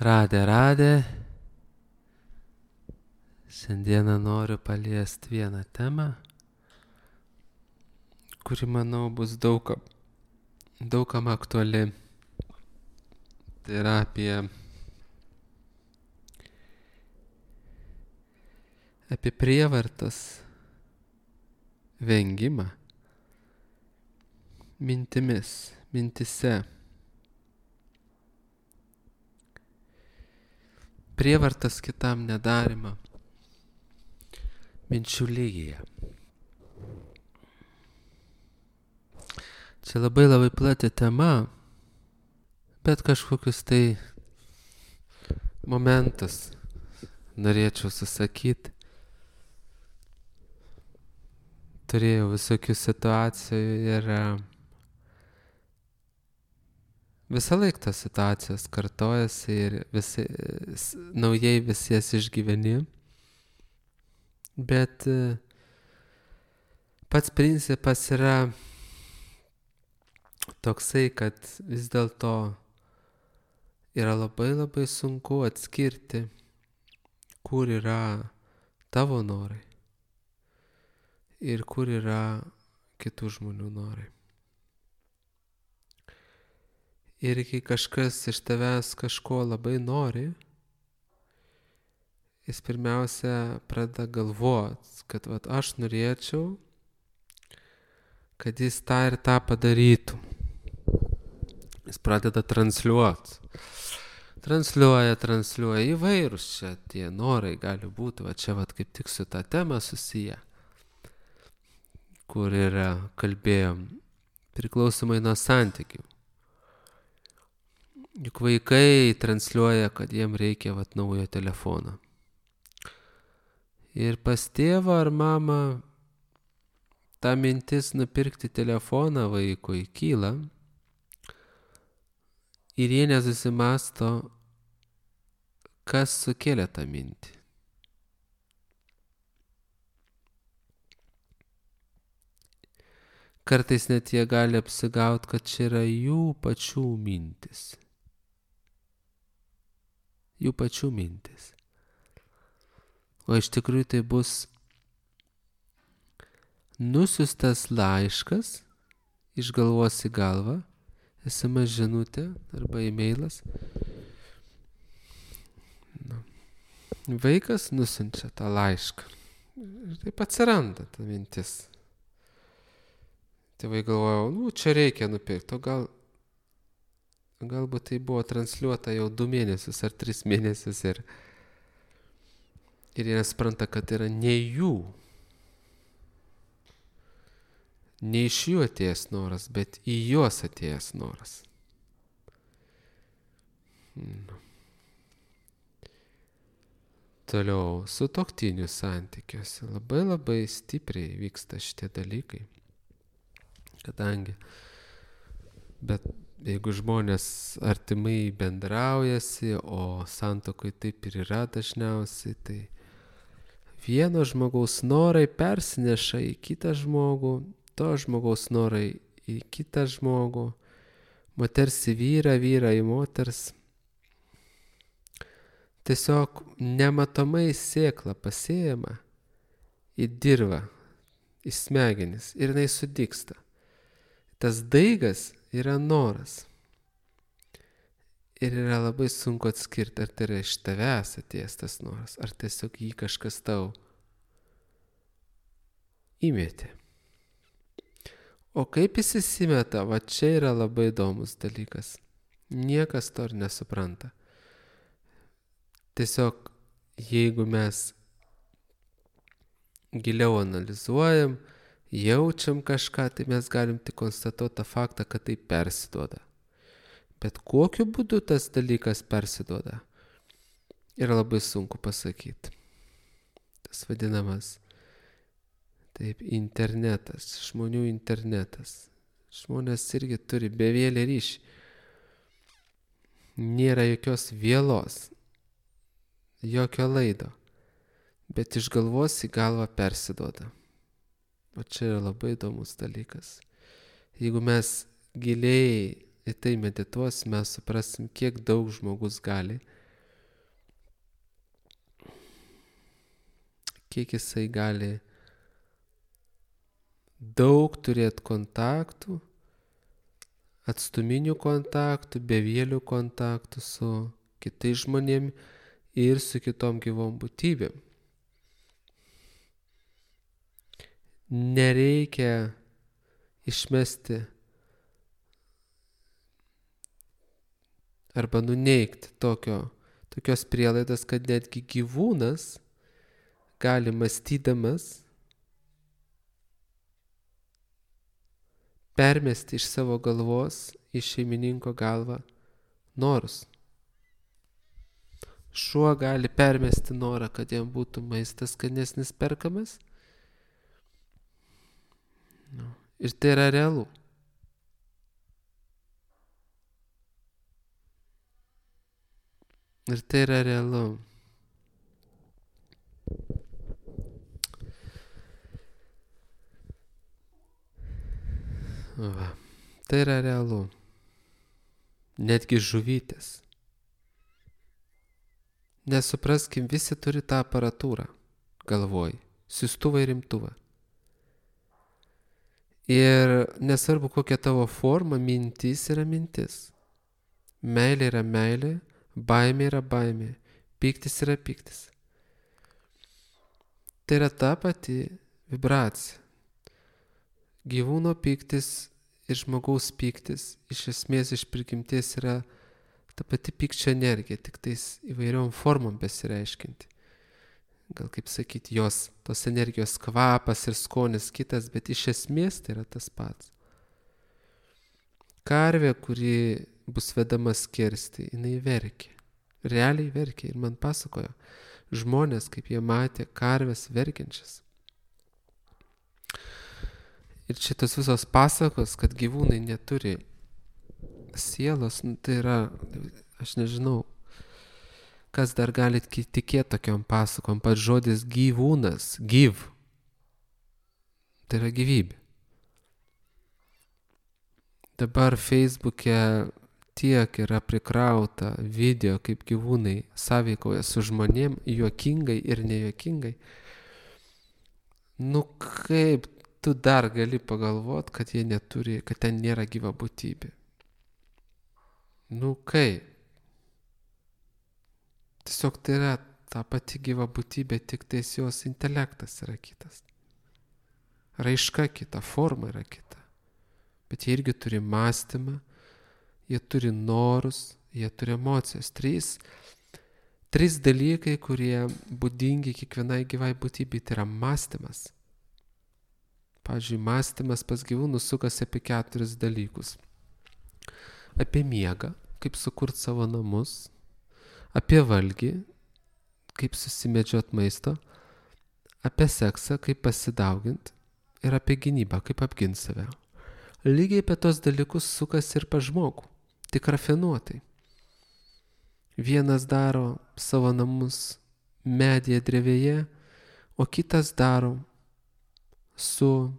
Radė. Šiandieną noriu paliesti vieną temą, kuri, manau, bus daugam aktuali. Tai yra apie prievartos vengimą mintise. Prievartos kitam nedarimą minčių lygyje. Čia labai plati tema, bet kažkokius tai momentus norėčiau susakyti. Turėjau visokių situacijų ir visą laiką tos situacijos kartojasi ir naujai visi jas išgyveni. Bet pats principas yra toksai, kad vis dėlto yra labai sunku atskirti, kur yra tavo norai ir kur yra kitų žmonių norai. Ir kai kažkas iš tavęs kažko labai nori, jis pirmiausia pradeda galvoti, kad aš norėčiau, kad jis tą ir tą padarytų. Jis pradeda transliuoti. Transliuoja įvairūs čia tie norai gali būti, čia kaip tik su ta tema susiję, kur yra kalbėjom priklausomai nuo santykių. Juk vaikai transliuoja, kad jiem reikia naujo telefono. Ir pas tėvą ar mamą ta mintis nupirkti telefoną vaikui kyla ir jie nesusimąsto, kas sukėlė tą mintį. Kartais net jie gali apsigauti, kad čia yra jų pačių mintis. Jų pačių mintis. O iš tikrųjų tai bus nusiustas laiškas iš galvos į galvą, SMS žinutė arba e-mailas. Vaikas nusiunčia tą laišką. Ir taip atsiranda ta mintis. Tėvai galvoja, čia reikia nupirkti, o galbūt tai buvo transliuota jau 2 mėnesius ar 3 mėnesius ir jie nespranta, kad yra ne jų, ne iš jų atėjęs noras, bet į juos atėjęs noras. Toliau, sutuoktinių santykiuose labai stipriai vyksta šitie dalykai, bet jeigu žmonės artimai bendraujasi, o santuokoj taip ir yra dažniausiai, tai vieno žmogaus norai persineša į kitą žmogų, to žmogaus norai į kitą žmogų, moters į vyrą, vyra į moters. Tiesiog nematomai sėkla pasėjama į dirvą, į smegenis ir jinai sudygsta. Tas daigas yra noras. Ir yra labai sunku atskirti, ar tai yra iš tavęs atėjęs tas noras, ar tiesiog jį kažkas tau įmetė. O kaip jis įsimeta, čia yra labai įdomus dalykas. Niekas to ir nesupranta. Tiesiog, jeigu mes giliau analizuojam, jaučiam kažką, tai mes galim tik konstatuoti tą faktą, kad tai persiduoda. Bet kokiu būdu tas dalykas persiduoda, yra labai sunku pasakyti. Tas vadinamas internetas, žmonių internetas. Žmonės irgi turi bevėlį ryšį. Nėra jokios vėlos, jokio laido, bet iš galvos į galvą persiduoda. O čia yra labai įdomus dalykas. Jeigu mes giliai į tai medituosim, mes suprasim, kiek daug žmogus gali kiek jisai gali daug turėti kontaktų, atstuminių kontaktų, bevėlių kontaktų su kitais žmonėmis ir su kitom gyvom būtybėm. Nereikia išmesti arba nuneigti tokios prielaidos, kad netgi gyvūnas gali mąstydamas permesti iš savo galvos į šeimininko galvą norus. Šuo gali permesti norą, kad jam būtų maistas skanesnis perkamas. Ir tai yra realu. Ir tai yra realu. Va. Tai yra realu. Netgi žuvytės. Nesupraskim, visi turi tą aparatūrą galvoj. Siųstuvą ir imtuvą. Ir nesvarbu, kokia tavo forma, mintis yra mintis. Meilė yra meilė, baimė yra baimė, pyktis yra pyktis. Tai yra ta pati vibracija. Gyvūno pyktis ir žmogaus pyktis iš esmės iš prigimties yra ta pati pykčio energija, tik tais įvairiom formom besireiškinti. Gal kaip sakyti, tos energijos kvapas ir skonis kitas, bet iš esmės tai yra tas pats. Karvė, kuri bus vedama skersti, jinai verkia. Realiai verkia ir man pasakojo žmonės, kaip jie matė karves verkiančias. Ir šitos visos pasakos, kad gyvūnai neturi sielos, tai yra, aš nežinau, kas dar gali tikėti tokiom pasakom. Pats žodis gyvūnas, gyv, tai yra gyvybė. Dabar Facebook'e tiek yra prikrauta video, kaip gyvūnai sąveikoja su žmonėm, juokingai ir nejuokingai. Nu kaip tu dar gali pagalvot, kad jie neturi, kad ten nėra gyva būtybė? Nu kaip? Tiesiog tai yra ta pati gyva būtybė, tik tais jos intelektas yra kitas. Raiška kita, forma yra kita. Bet jie irgi turi mąstymą, jie turi norus, jie turi emocijas. Trys dalykai, kurie būdingi kiekvienai gyvai būtybei, tai yra mąstymas. Pavyzdžiui, mąstymas pas gyvūnus sukasi apie 4 dalykus. Apie miegą, kaip sukurti savo namus, apie valgį, kaip susimedžiot maisto, apie seksą, kaip pasidauginti ir apie gynybą, kaip apginti save. Lygiai apie tos dalykus sukasi ir pas žmogų, tik rafinuotai. Vienas daro savo namus medyje, drevėje, o kitas daro su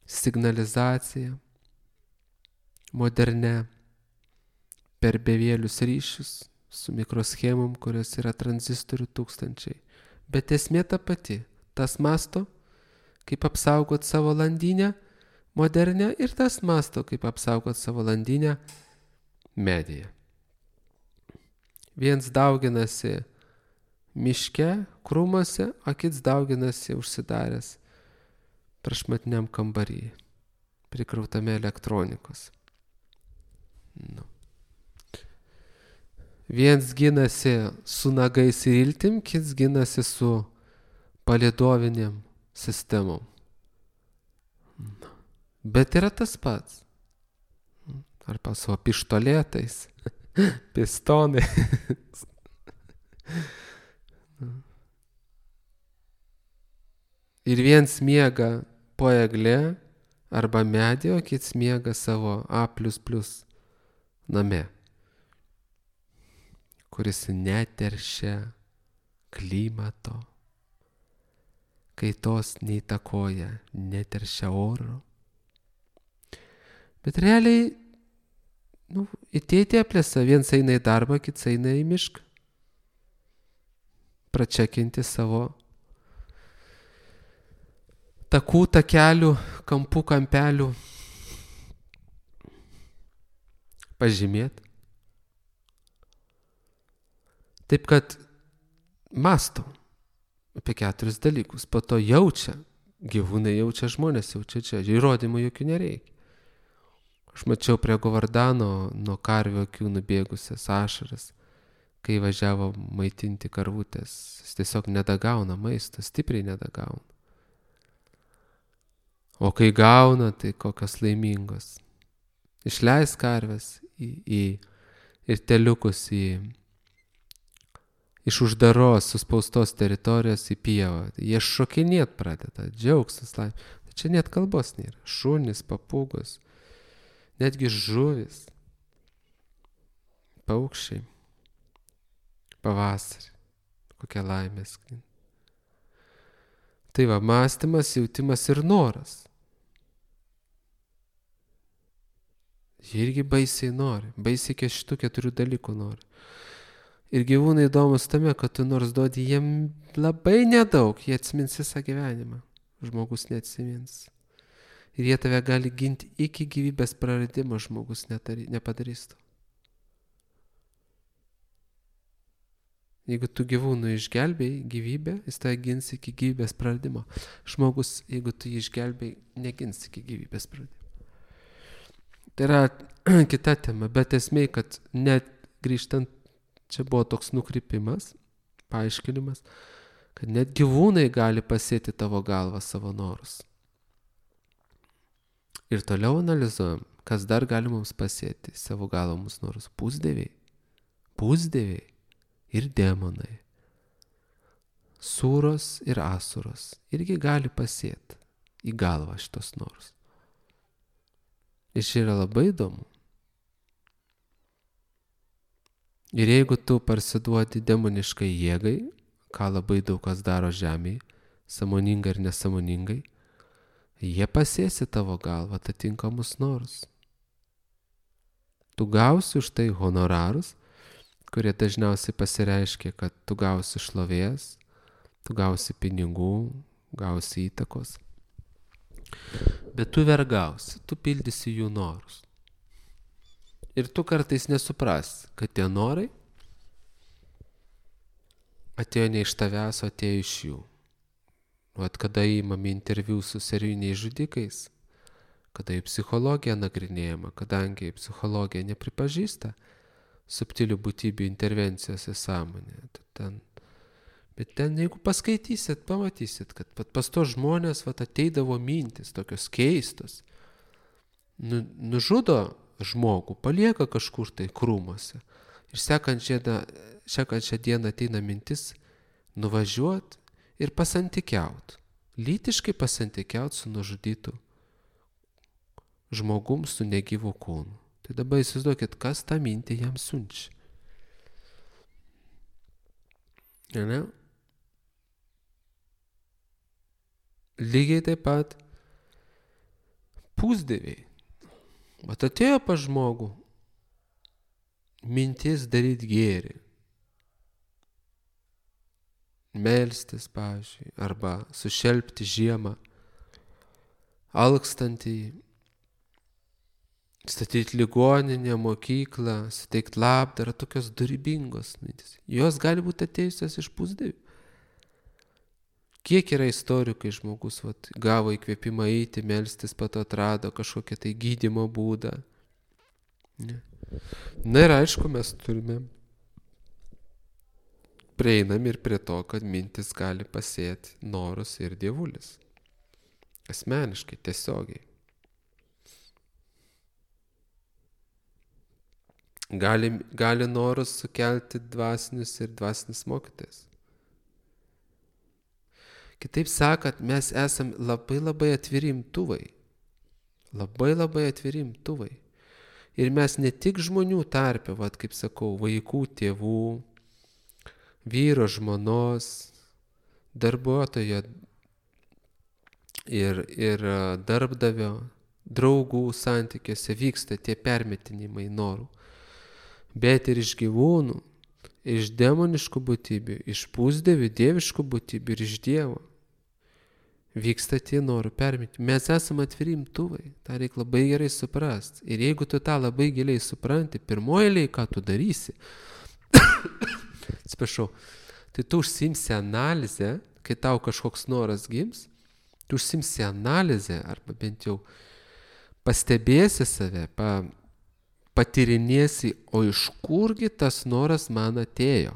signalizacija, moderne, per bevėlius ryšius, su mikroschemom, kurios yra tranzistorių tūkstančiai. Bet esmė ta pati. Tas masto, kaip apsaugot savo landinę modernę, ir tas masto, kaip apsaugot savo landinę medyje. Viens dauginasi miške, krūmuose, o kits dauginasi užsidaręs prašmatniam kambarį, prikrautame elektronikos. Nu. Viens ginasi su nagais ir iltim, kits ginasi su palydoviniam sistemom. Bet yra tas pats. Arba su pištolėtais, pistonai. Ir viens miega po eglė arba medį, o kits miega savo A++ name, kuris neteršia klimato, kaitos neįtakoja, neteršia oro. Bet realiai, į tėtį aplėsa, viens eina į darbą, kits eina į mišką. Pračekinti savo takų, takelių, kampų, kampelių pažymėti. Taip kad mąstom apie 4 dalykus, po to jaučia, gyvūnai jaučia, žmonės jaučia, čia įrodymų jokių nereikia. Aš mačiau prie Govardano nuo karvių akių nubėgusias ašaras, kai važiavo maitinti karvutės. Jis tiesiog nedagauna maisto, stipriai nedagauna. O kai gauna, tai kokios laimingos. Išleis karves ir teliukus iš uždaros, suspaustos teritorijos į pievą. Jie šokinėt pradeda, džiaugsmas, laimė. Čia net kalbos nėra. Šunys, papūgos, netgi žuvis, paukščiai, pavasarį, kokia laimė sklinda. Tai va, mąstymas, jautimas ir noras. Jie irgi baisiai nori, baisiai šitų 4 dalykų nori. Ir gyvūnai įdomus tame, kad tu nors duodi jiem labai nedaug, jie atsimins visą gyvenimą. Žmogus neatsimins. Ir jie tave gali ginti iki gyvybės praradimo, žmogus nepadarys to. Jeigu tu gyvūnų išgelbėjai gyvybę, jis tave gins iki gyvybės praradimo. Žmogus, jeigu tu jį išgelbėjai, negins iki gyvybės praradimo. Tai yra kita tema, bet esmė, kad net grįžtant, čia buvo toks nukrypimas, paaiškinimas, kad net gyvūnai gali pasėti tavo galvą savo norus. Ir toliau analizuojam, kas dar gali mums pasėti savo galvą mūsų norus. Pusdieviai ir demonai, sūros ir asuros irgi gali pasėti į galvą šitos norus. Ir čia yra labai įdomu. Ir jeigu tu parsiduodi demoniškai jėgai, ką labai daug kas daro žemėje, sąmoningai ir nesąmoningai, jie pasės į tavo galvą atitinkamus norus. Tu gausi už tai honorarus, kurie dažniausiai pasireiškia, kad tu gausi šlovės, tu gausi pinigų, gausi įtakos. Bet tu vergausi, tu pildysi jų norus. Ir tu kartais nesuprasi, kad tie norai atėjo ne iš tavęs, o atėjo iš jų. Vat kada įmami interviu su serijiniais žudikais, kada į psichologiją nagrinėjama, kadangi psichologija nepripažįsta subtilių būtybių intervencijos į sąmonę. Bet ten, jeigu paskaitysit, pamatysit, kad pas to žmonės ateidavo mintis tokios keistos. Nužudo žmogų, palieka kažkur tai krūmuose. Ir sekančią dieną ateina mintis nuvažiuoti ir pasantykiauti. Lytiškai pasantykiauti su nužudytu žmogum su negyvu kūnu. Tai dabar įsivaizduokit, kas tą mintį jam siunčia. Ne? Lygiai taip pat pusdieviai. Vat atėjo pas žmogų mintis daryti gėrį. Melstis, pavyzdžiui, arba sušelpti žiemą, alkstantį, statyti ligoninę, mokyklą, suteikti labdarą, tokios dorybingos mintis. Jos gali būti atėjusios iš pusdievių. Kiek yra istorijų, kai žmogus gavo įkvėpimą eiti, melstis, pato atrado kažkokią tai gydymo būdą. Ne. Na ir aišku, mes prieinam ir prie to, kad mintis gali pasėti norus ir dievulis. Asmeniškai, tiesiogiai. Gali norus sukelti dvasinius ir dvasinis mokytojas. Kitaip sakant, mes esam labai atviri imtuvai. Labai atviri imtuvai. Ir mes ne tik žmonių tarpe, kaip sakau, vaikų, tėvų, vyro, žmonos, darbuotojo ir darbdavio, draugų santykiuose vyksta tie permetinimai norų. Bet ir iš gyvūnų, iš demoniškų būtybių, iš pusdievių, dieviškų būtybių ir iš Dievo. vyksta tie norų permeti. Mes esame atviri imtuvai, tą reikia labai gerai suprasti. Ir jeigu tu tą labai giliai supranti, pirmoji eilėje, ką tu darysi, atsiprašau, tai tu užsimsi analizę, kai tau kažkoks noras gims, tu užsimsi analizę, arba bent jau pastebėsi save, patyrinėsi, o iš kurgi tas noras man atėjo.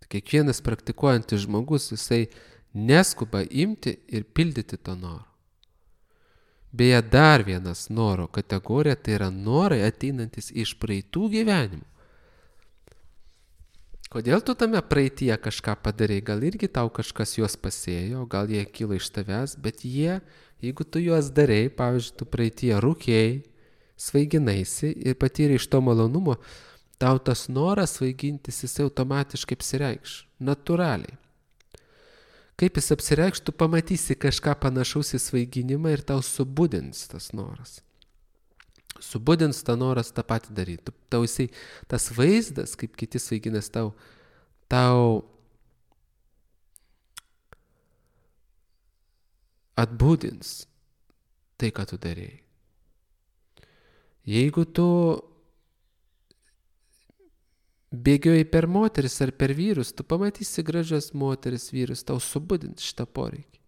Kiekvienas praktikuojantis žmogus, jisai neskuba imti ir pildyti to noro. Beje, dar vienas noro kategorija, tai yra norai ateinantis iš praeitų gyvenimų. Kodėl tu tame praeityje kažką padarai? Gal irgi tau kažkas juos pasėjo, gal jie kyla iš tavęs, bet jeigu tu juos darai, pavyzdžiui, tu praeityje rūkėjai, svaiginaisi ir patyrei iš to malonumo, tau tas noras svaigintis, jis automatiškai apsireikš, natūraliai. Kaip jis apsireikš, tu pamatysi kažką panašaus į svaiginimą ir tau subudins tas noras. Subudins tą noras tą patį daryti. Tau jisai, tas vaizdas, kaip kiti svaiginas, tau atbudins tai, ką tu darėjai. Jeigu tu bėgioji per moteris ar per vyrus, tu pamatysi gražias moteris, vyrus, tau subudins šitą poreikį.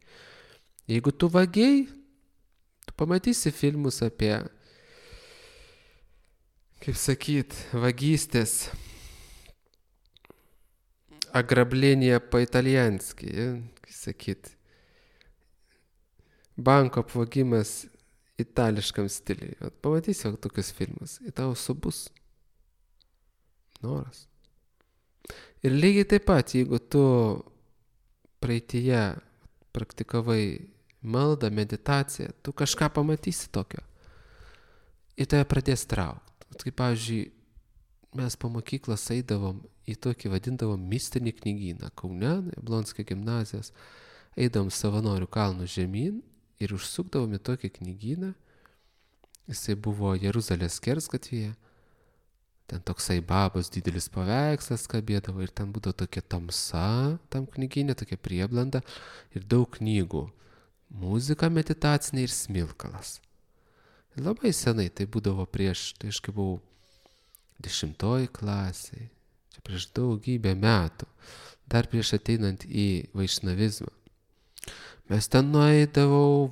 Jeigu tu vagiai, tu pamatysi filmus apie, kaip sakyt, vagystės, agrablėnėje po-italianski, kaip sakyt, banko apvogimas itališkam stiliui. Pamatysi tokius filmus, ir tau subus noras. Ir lygiai taip pat, jeigu tu praeityje praktikavai maldą, meditaciją, tu kažką pamatysi tokio. Ir tave pradės traukti. Kaip pavyzdžiui, mes po mokyklos eidavom į tokį vadindavom mistinį knygyną Kaune, Jablonskio gimnazijos, eidavom Savanorių kalnų žemyn ir užsukdavom į tokį knygyną. Jisai buvo Jeruzalės skersgatvėje. Ten toksai babos didelis paveikslas kabėdavo ir ten būdavo tokia tamsa, tam knygyne, tokia prieblanda ir daug knygų. Muzika meditacinė ir smilkalas. Ir labai senai tai būdavo prieš, tai aš kai buvau 10 klasėje, čia prieš daugybę metų, dar prieš ateinant į vaišnavizmą. Mes ten nueidavau,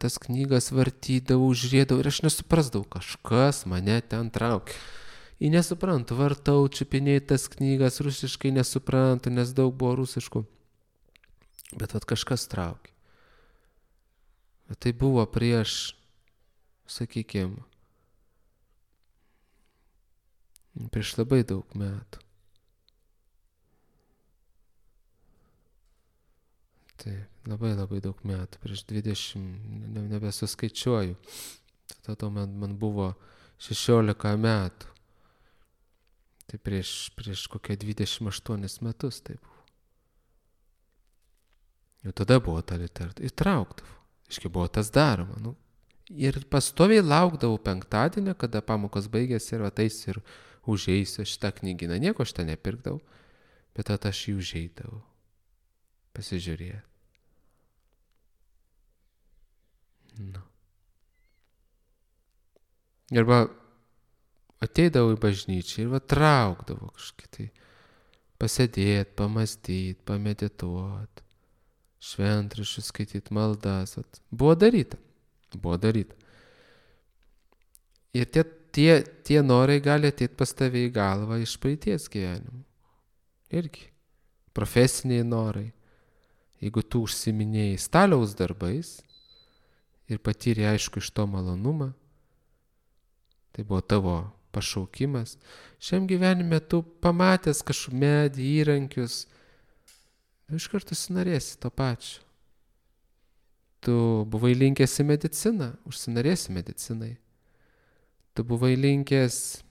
tas knygas vartydavau, žiūrėdavau ir aš nesuprasdavau, kažkas mane ten traukia. Ir nesuprantu, vartau, čiupinėjau tas knygas, rusiškai nesuprantu, nes daug buvo rusiškų. Bet kažkas traukia. Bet tai buvo prieš, sakykime, prieš labai daug metų. Taip, labai daug metų, prieš 20, nebesuskaičiuoju. Tada man buvo 16 metų. Tai prieš kokią 28 metus tai buvo. Jau tada buvo ta literatūra. Įtraukdavo. Iškai buvo tas daroma. Ir pastoviai laukdavau penktadienį, kada pamokos baigėsi ir ateisiu ir užeisiu šitą knygyną. Nieko aš ten nepirkdavau, bet tada aš jį užeidavau. Pasižiūrėti. Arba ateidavau į bažnyčią ir traukdavau kažkaip tai pasėdėti, pamastyti, pamedituoti, šventraščius skaityti, maldas. Buvo daryta. Ir tie norai gali ateiti pas tave į galvą iš praeities gyvenimų. Irgi. Profesiniai norai. Jeigu tu užsiminėjai staliaus darbais ir patyrė aišku iš to malonumą, tai buvo tavo pašaukimas. Šiam gyvenime tu pamatęs kažkokį medį, įrankius, iš karto sinorėsi to pačio. Tu buvai linkęs į mediciną, užsinorėsi medicinai. Tu buvai linkęs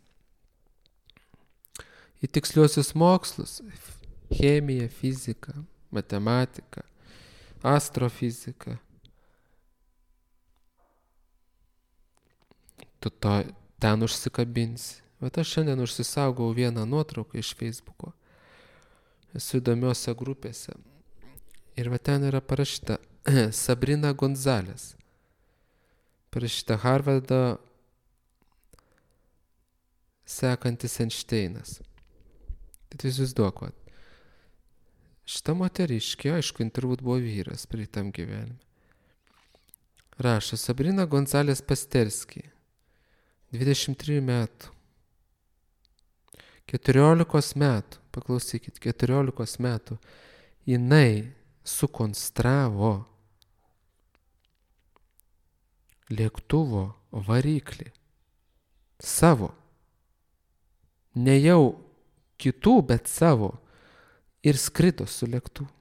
į tiksliuosius mokslus, chemiją, fiziką, matematiką, astrofiziką. Tu ten užsikabinsi. Bet aš šiandien užsisaugau vieną nuotrauką iš Facebooko. esu įdomiose grupėse. Ir va ten yra parašyta Sabrina Gonzalez. Parašyta Harvardo sekantis Einšteinas. Tai įsivaizduok, šita moteriškė, aišku, turbūt buvo vyras pritam gyvenime. Rašo Sabrina Gonzalez Pasterski, 23 metų. 14 metų, paklausykit, 14 metų jinai sukonstravo lėktuvo variklį savo. Ne jau kitų, bet savo. Ir skrido su lėktuvu.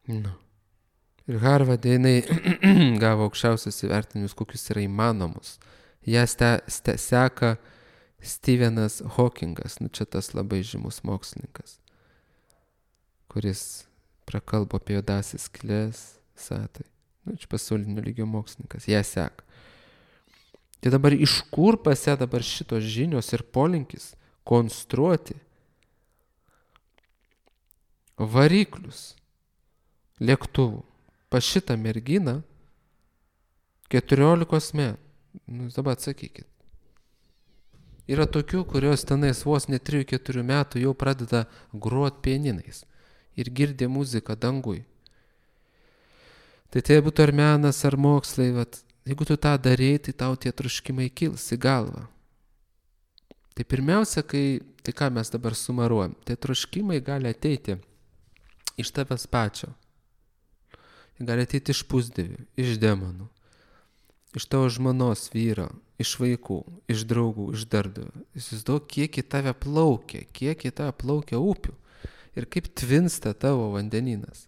Nu. Ir Harvarde jinai gavo aukščiausius įvertinimus, kokius yra įmanomus. Ją seka Stephenas Hawkingas, čia tas labai žymus mokslininkas, kuris prakalbo apie juodąsias skyles, satai. Čia pasaulinio lygio mokslininkas, ją seka. Tai dabar iš kur pas ją dabar šitos žinios ir polinkis konstruoti variklius lėktuvų pas šitą merginą 14 metų. Dabar atsakykit. Yra tokių, kurios tenais vos ne 3-4 metų jau pradeda grot pianinais ir girdė muziką dangui. Tai būtų ar menas, ar mokslai, jeigu tu tą darei, tai tau tie troškimai kils į galvą. Tai pirmiausia, tai ką mes dabar sumaruojam, tai troškimai gali ateiti iš tavęs pačio. Gali ateiti iš pusdievių, iš demonų, iš tavo žmonos, vyro, iš vaikų, iš draugų, iš darbdavio. Įsivaizduok, kiek į tave plaukia upių ir kaip tvinsta tavo vandenynas.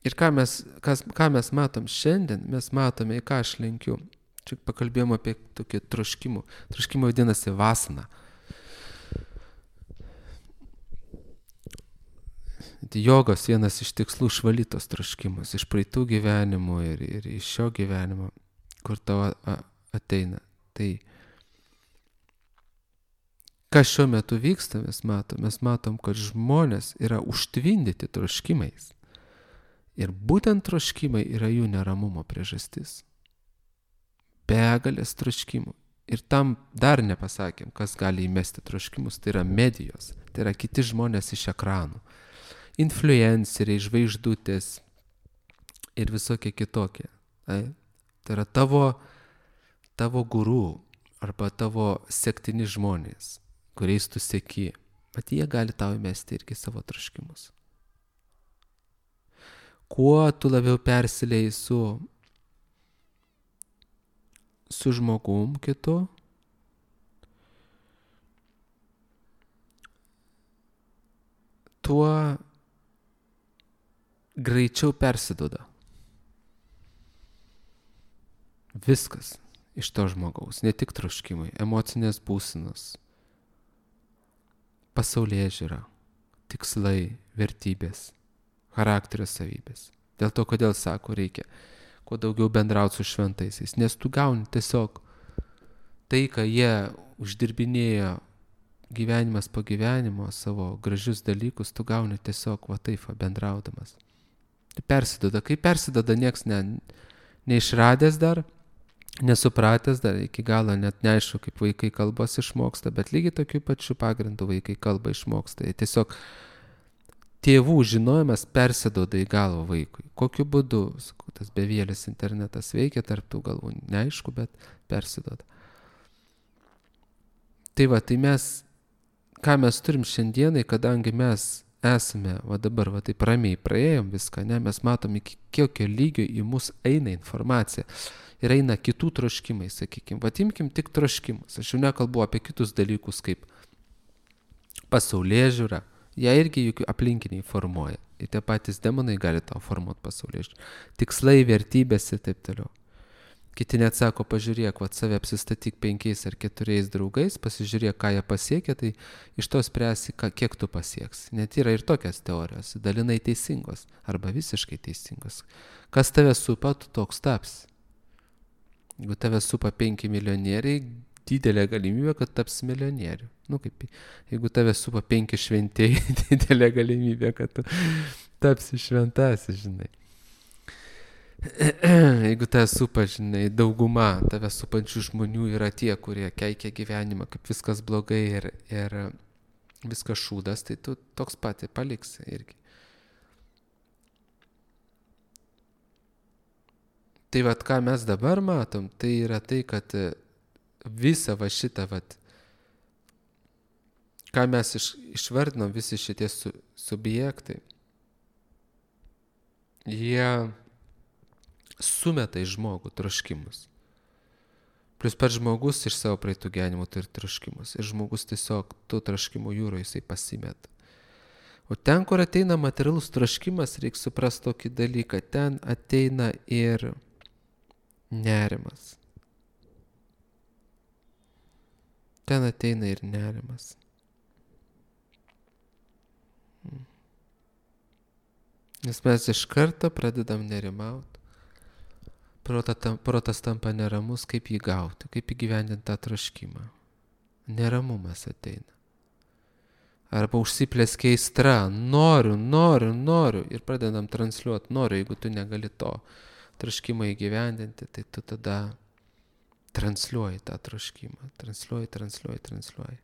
Ir ką mes matom šiandien, mes matome, į ką aš lenkiu. Čia pakalbėjom apie tokį troškimų. Troškimą vadinasi vasana. Jogos vienas iš tikslų išvalytos troškimus iš praeitų gyvenimų ir iš šio gyvenimo, kur tavo ateina. Tai kas šiuo metu vyksta, mes matom, kad žmonės yra užtvindyti troškimais. Ir būtent troškimai yra jų neramumo priežastis. Begalės troškimų. Ir tam dar nepasakėm, kas gali įmesti troškimus, tai yra medijos, tai yra kiti žmonės iš ekranų. Influenceriai, žvaigždutės ir visokie kitokie. Tai yra tavo guru arba tavo sektini žmonės, kuriais tu seki. Bet jie gali tau įmesti irgi savo troškimus. Kuo tu labiau persilieji su žmogum kitu, tuo greičiau persiduoda viskas iš to žmogaus, ne tik troškimai, emocinės būsenos, pasaulėžiūra, tikslai, vertybės, charakterio savybės. Dėl to, kodėl sako, reikia kuo daugiau bendrauti su šventaisiais, nes tu gauni tiesiog tai, ką jie uždirbinėjo gyvenimas po gyvenimo, savo gražius dalykus, tu gauni tiesiog taip bendraudamas. Tai persiduoda. Kai persiduoda, nieks neišradęs dar, nesupratęs dar, iki galo net neaišku, kaip vaikai kalbos išmoksta, bet lygiai tokiu pačiu pagrindu vaikai kalbą išmoksta. Tiesiog tėvų žinojimas persiduoda į galvą vaikui. Kokiu būdu, tas bevėlis internetas veikia tarp tų galvų, neaišku, bet persiduoda. Tai ką mes turim šiandienai, kadangi mes esame, dabar taip ramiai praėjom viską, mes matom, iki kokio lygio į mus eina informacija ir eina kitų troškimai, sakykime. Imkim tik troškimus. Aš jau nekalbu apie kitus dalykus kaip pasaulėžiūra. Jie irgi juk aplinkiniai formuoja. Ir tie patys demonai gali tau formuoti pasaulėžiūrą. Tikslai, vertybės ir taip toliau. Kiti net sako, pažiūrėk, save apsistatyk 5 ar 4 draugais, pasižiūrėk, ką jie pasiekia, tai iš to spręsi, kiek tu pasieksi. Net yra ir tokios teorijos, dalinai teisingos arba visiškai teisingos. Kas tave supa, tu toks tapsi. Jeigu tave supa 5 milijonieriai, didelė galimybė, kad taps milijonieriu. Nu, kaip, jeigu tave supa 5 šventėjai, didelė galimybė, kad tu tapsi šventasis, žinai. Jeigu tave supa, žinai, dauguma tave supančių žmonių yra tie, kurie keikia gyvenimą, kaip viskas blogai ir viskas šūdas, tai tu toks pati paliksi irgi. Tai vat, ką mes dabar matom, tai yra tai, kad visą va šitą, vat, ką mes išvardinom, visi šitie subjektai, jie sumeta į žmogų troškimus. Plius pats žmogus iš savo praeitų gyvenimų turi troškimus. Ir žmogus tiesiog tų troškimų jūroje jisai pasimeta. O ten, kur ateina materialus troškimas, reikia suprasti tokį dalyką. Ten ateina ir nerimas. Ten ateina ir nerimas. Nes mes iš karto pradedam nerimauti. Protas tampa neramus, kaip jį gauti, kaip įgyvendinti tą troškimą. Neramumas ateina. Arba užsiplėskia aistra, noriu ir pradedam transliuoti, noriu, jeigu tu negali to troškimą įgyvendinti, tai tu tada transliuoji tą troškimą, transliuoji.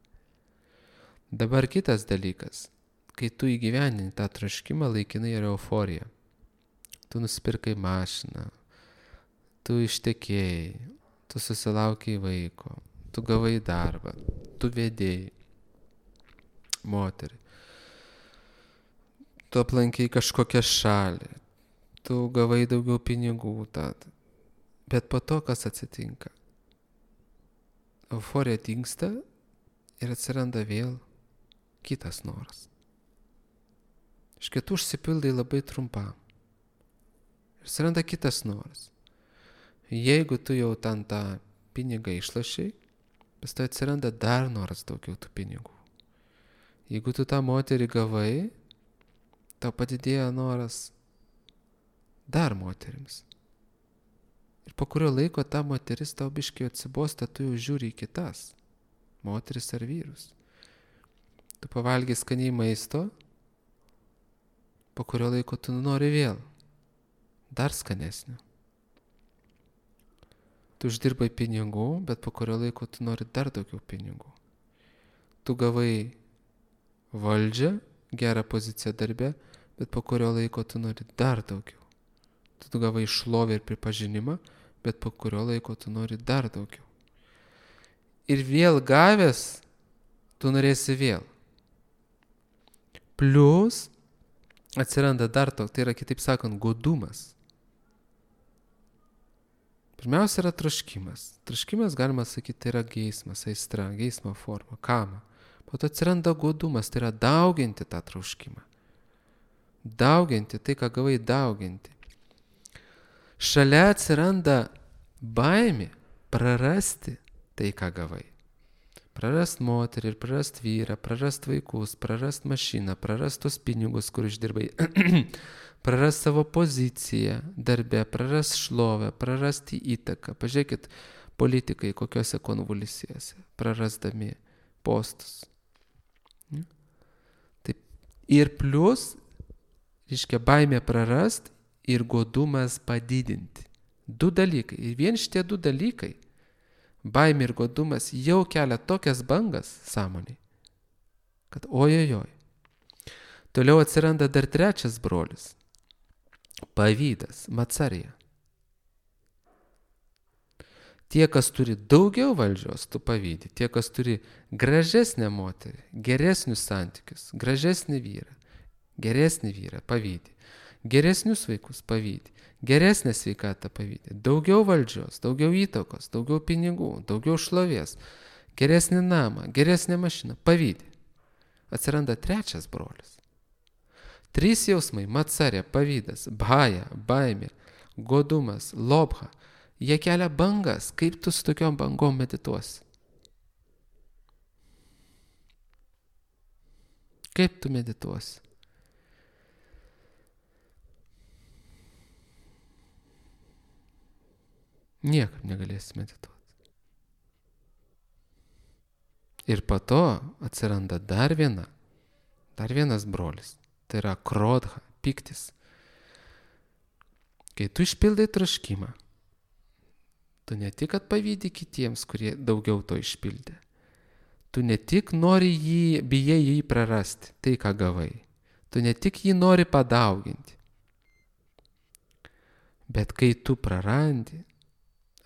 Dabar kitas dalykas, kai tu įgyvendini tą troškimą, laikinai yra euforija. Tu nusipirkai mašiną, tu ištekėjai, tu susilaukiai vaiko, tu gavai darbą, tu vedėjai moterį, tu aplankiai kažkokią šalį, tu gavai daugiau pinigų, bet po to kas atsitinka? Euforija dingsta ir atsiranda vėl kitas noras. Iš kitų užsipildai labai trumpam. Ir atsiranda kitas noras. Jeigu tu jau ten tą pinigą išlašiai, pas tai atsiranda dar noras daugiau tų pinigų. Jeigu tu tą moterį gavai, tau padidėjo noras dar moterims. Ir po kurio laiko ta moteris tau biškai atsibosta, tu jau žiūri į kitas, moteris ar vyrus. Tu pavalgai skaniai maisto, po kurio laiko tu nori vėl, dar skanesnio. Tu uždirbai pinigų, bet po kurio laiko tu nori dar daugiau pinigų. Tu gavai valdžią, gerą poziciją darbe, bet po kurio laiko tu nori dar daugiau. Tu gavai šlovę ir pripažinimą, bet po kurio laiko tu nori dar daugiau. Ir vėl gavęs, tu norėsi vėl. Plius atsiranda dar toks, tai yra kitaip sakant, godumas. Pirmiausia yra troškimas. Troškimas, galima sakyti, tai yra geismas, aistra, geismo forma, kama. Po to atsiranda godumas, tai yra dauginti tą troškimą. Dauginti, tai ką gavai dauginti. Šalia atsiranda baimė prarasti tai, ką gavai. Prarast moterį ir prarast vyrą, prarast vaikus, prarast mašiną, prarast tos pinigus, kur išdirbai. Prarast savo poziciją darbe, prarast šlovę, prarasti įtaką. Pažiūrėkit, politikai kokiose konvulsijose, prarasdami postus. Taip. Ir plius, reiškia, baimė prarast ir godumas padidinti. Du dalykai. Ir vien šitie du dalykai, baimė ir godumas, jau kelia tokias bangas sąmonėj, kad ojojoj. Toliau atsiranda dar trečias brolis. Pavydas, macarija. Tie, kas turi daugiau valdžios, tu pavydi. Tie, kas turi gražesnę moterį, geresnius santykius, gražesnį vyrą, pavydi. Geresnius vaikus pavydi. Geresnę sveikatą pavydi. Daugiau valdžios, daugiau įtakos, daugiau pinigų, daugiau šlovės, geresnį namą, geresnę mašiną, pavydi. Atsiranda trečias brolis. 3 jausmai – macarija, pavydas, bhaja, baimė, godumas, lobha. Jie kelia bangas. Kaip tu su tokiom bangom medituosi? Kaip tu medituosi? Niekaip negalėsi medituoti. Ir po to atsiranda dar vienas brolis. Tai yra krodha, piktis. Kai tu išpildai troškimą, tu ne tik kad pavydi kitiems, kurie daugiau to išpildė. Tu ne tik bijai jį prarasti, tai ką gavai. Tu ne tik jį nori padauginti. Bet kai tu prarandi,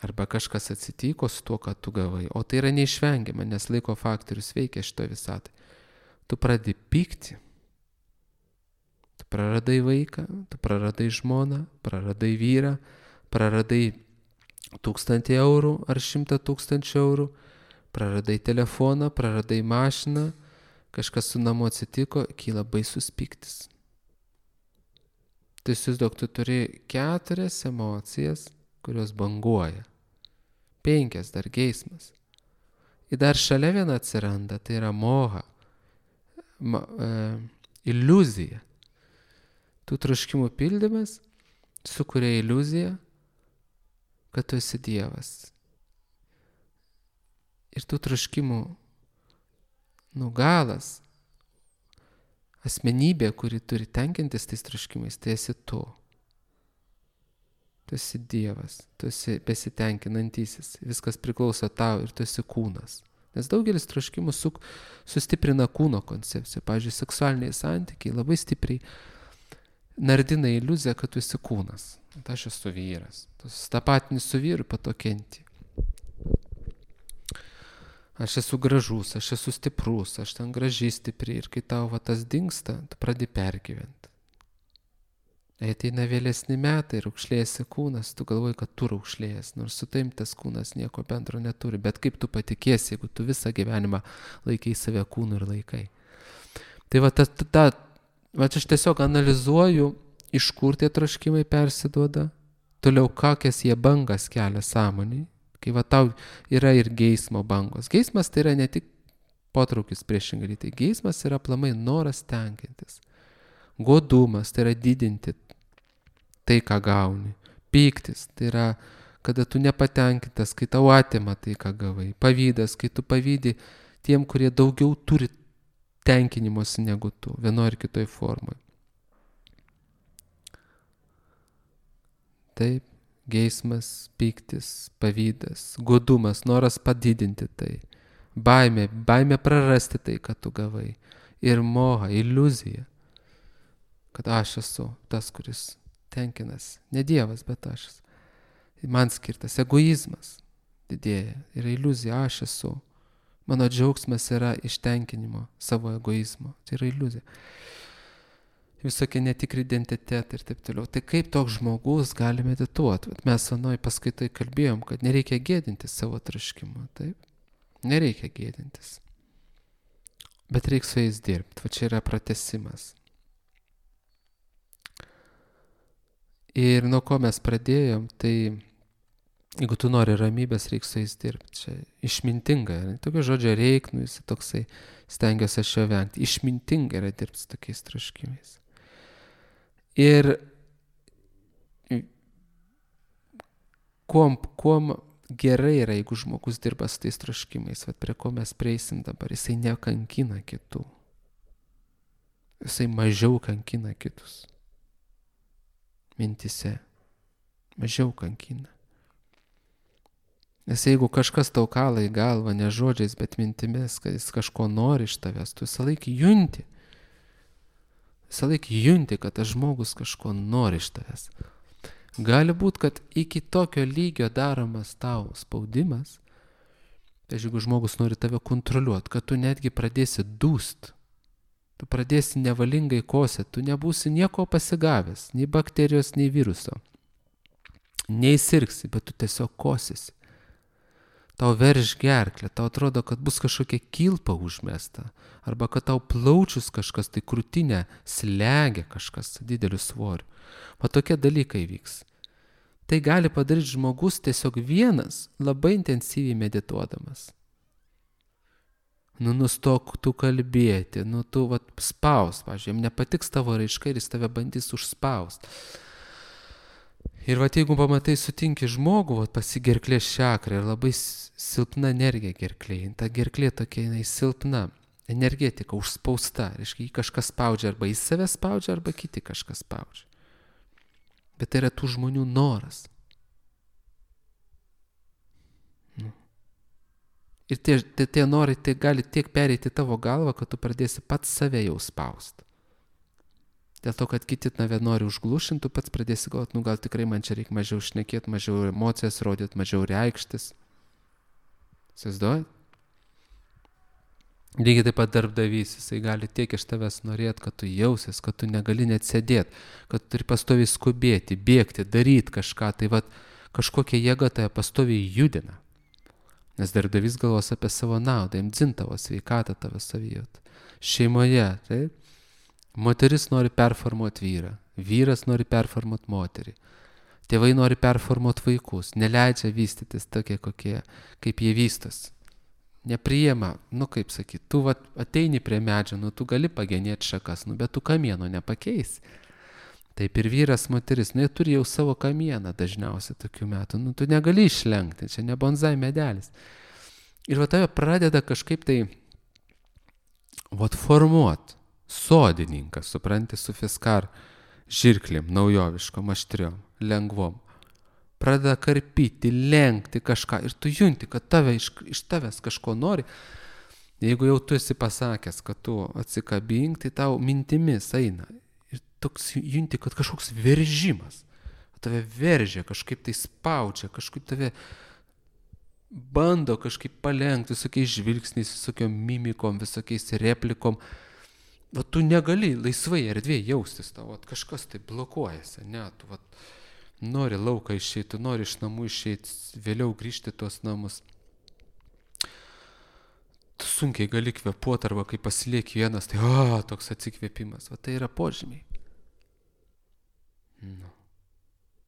arba kažkas atsitiko su tuo, ką tu gavai, o tai yra neišvengiama, nes laiko faktorius veikia šito visatai, tu pradedi pykti. Tu praradai vaiką, tu praradai žmoną, praradai vyrą, praradai 1000 eurų ar 100 000 eurų, praradai telefoną, praradai mašiną, kažkas su namu atsitiko, kyla baisus pyktis. Tai įsivaizduok, tu turi 4 emocijas, kurios banguoja. 5 dar geismas. Ir dar šalia viena atsiranda, tai yra moha, iliuzija. Tų troškimų pildymas sukuria iliuziją, kad tu esi Dievas. Ir tų troškimų galas, asmenybė, kuri turi tenkintis tais troškimais, tai esi tu. Tu esi Dievas, tu esi besitenkinantysis, viskas priklauso tau ir tu esi kūnas. Nes daugelis troškimų sustiprina kūno koncepciją. Pavyzdžiui, seksualiniai santykiai labai stipriai nardina iliuziją, kad tu esi kūnas. Aš esu vyras. Tu susitapatini su vyru, po to kenti. Aš esu gražus, aš esu stiprus, aš ten graži, stipri. Ir kai tau tas dingsta, tu pradedi pergyventi. Ateina vėlesni metai, raukšlėjasi kūnas, tu galvoji, kad tu raukšlėjęs, nors su taim tas kūnas nieko bendro neturi. Bet kaip tu patikėsi, jeigu tu visą gyvenimą laikai save kūnu ir laikai. Tai aš tiesiog analizuoju, iš kur tie troškimai persiduoda, toliau kokias jie bangas kelia sąmonį, kai tau yra ir geismo bangos. Geismas tai yra ne tik potraukis priešingai, tai geismas yra aplamai noras tenkintis. Godumas tai yra didinti tai, ką gauni. Pyktis tai yra, kada tu nepatenkintas, kai tau atima tai, ką gavai. Pavydas, kai tu pavydi tiem, kurie daugiau turi tenkinimosi negu tu, vienoje ar kitoje formoje. Taip, geismas, pyktis, pavydas, godumas, noras padidinti tai, baimė prarasti tai, ką tu gavai. Ir moha, iliuzija, kad aš esu tas, kuris tenkinas. Ne Dievas, bet aš. Man skirtas egoizmas didėja. Yra iliuzija, aš esu. Mano džiaugsmas yra iš tenkinimo savo egoizmo. Tai yra iliuzija. Visokie netikri identitetai ir taip toliau. Tai kaip toks žmogus gali medituoti? Mes anoj paskaitai kalbėjom, kad nereikia gėdintis savo troškimo. Taip? Nereikia gėdintis. Bet reikia su jais dirbti. Va čia yra pratęsimas. Ir nuo ko mes pradėjom, tai jeigu tu nori ramybės, reikia su jais dirbti. Čia išmintinga. Tokio žodžio reik, jis toksai, stengiuosi aš jo vengti. Išmintinga yra dirbti su tokiais troškimais. Ir kuom gerai yra, jeigu žmogus dirba su tais troškimais, prie ko mes prieisim dabar, jisai nekankina kitų. Jisai mažiau kankina kitus. Mintise. Mažiau kankina. Nes jeigu kažkas tau kala į galvą, ne žodžiais, bet mintimis, kad jis kažko nori iš tavęs, tu visą laiką junti. Visą laiką junti, kad tas žmogus kažko nori iš tavęs. Gali būti, kad iki tokio lygio daromas tau spaudimas, tai jeigu žmogus nori tave kontroliuoti, kad tu netgi pradėsi dūst, tu pradėsi nevalingai kosėti, tu nebūsi nieko pasigavęs, nei bakterijos, nei viruso. Neįsirgsi, bet tu tiesiog kosėsi. Tau verž gerklę, tau atrodo, kad bus kažkokia kilpa užmesta, arba kad tau plaučius kažkas, tai krūtinė slegia kažkas dideliu svoriu. Va tokie dalykai vyks. Tai gali padaryti žmogus tiesiog vienas, labai intensyviai medituodamas. Nustok tu kalbėti, tu spaus, pavyzdžiui, jam nepatiks tavo raiška ir jis tave bandys užspaust. Ir vat jeigu pamatai, sutinki žmogų, vat pasigerklės čakra ir labai silpna energija gerklėje, ta gerklė tokia, jinai silpna, energetika užspausta, reiškia, jį kažkas spaudžia, arba į save spaudžia, arba kiti kažkas spaudžia. Bet tai yra tų žmonių noras. Ir tie norai tai gali tiek pereiti tavo galvą, kad tu pradėsi pats save jau spausti. Dėl to, kad kiti tave nori užglušinti, tu pats pradėsi galvoti, gal tikrai man čia reikia mažiau šnekėti, mažiau emocijas rodyti, mažiau reikštis. Įsivaizduojat? Lygiai taip pat darbdavys, jisai gali tiek iš tavęs norėti, kad tu jausies, kad tu negali net sėdėti, kad tu turi pastoviai skubėti, bėgti, daryti kažką, tai vat kažkokia jėga tave pastoviai judina. Nes darbdavys galvos apie savo naudą, jam dzin tavo sveikatą, tavo savijautą. Šeimoje, taip? Moteris nori performuoti vyrą, vyras nori performuoti moterį, tėvai nori performuoti vaikus, neleidžia vystytis tokie, kaip jie vystos. Nepriima, kaip sakyti, tu ateini prie medžio, tu gali pagenėti šakas, bet tu kamieno nepakeisi. Taip ir vyras, moteris, jie turi jau savo kamieną dažniausiai tokių metų, tu negali išlenkti, čia ne bonzai medelis. Ir tave pradeda kažkaip tai formuoti. Sodininkas, supranti, su fiskar žirklėm, naujoviškom, aštriom, lengvom. Pradeda karpyti, lenkti kažką ir tu junti, kad iš tavęs kažko nori. Jeigu jau tu esi pasakęs, kad tu atsikabink, tai tau mintimis eina. Ir toks junti, kad kažkoks veržimas. Tave veržia, kažkaip tai spaudžia, kažkaip tave bando kažkaip palenkti visokiais žvilgsniais, visokiom mimikom, visokiais replikom. Tu negali laisvai erdvėje jaustis, tau kažkas tai blokuojasi, ne, tu nori lauką išeiti, nori iš namų išeiti, vėliau grįžti tuos namus. Tu sunkiai gali kvėpuoti, arba kai pasilieki vienas, tai toks atsikvėpimas, tai yra požymiai.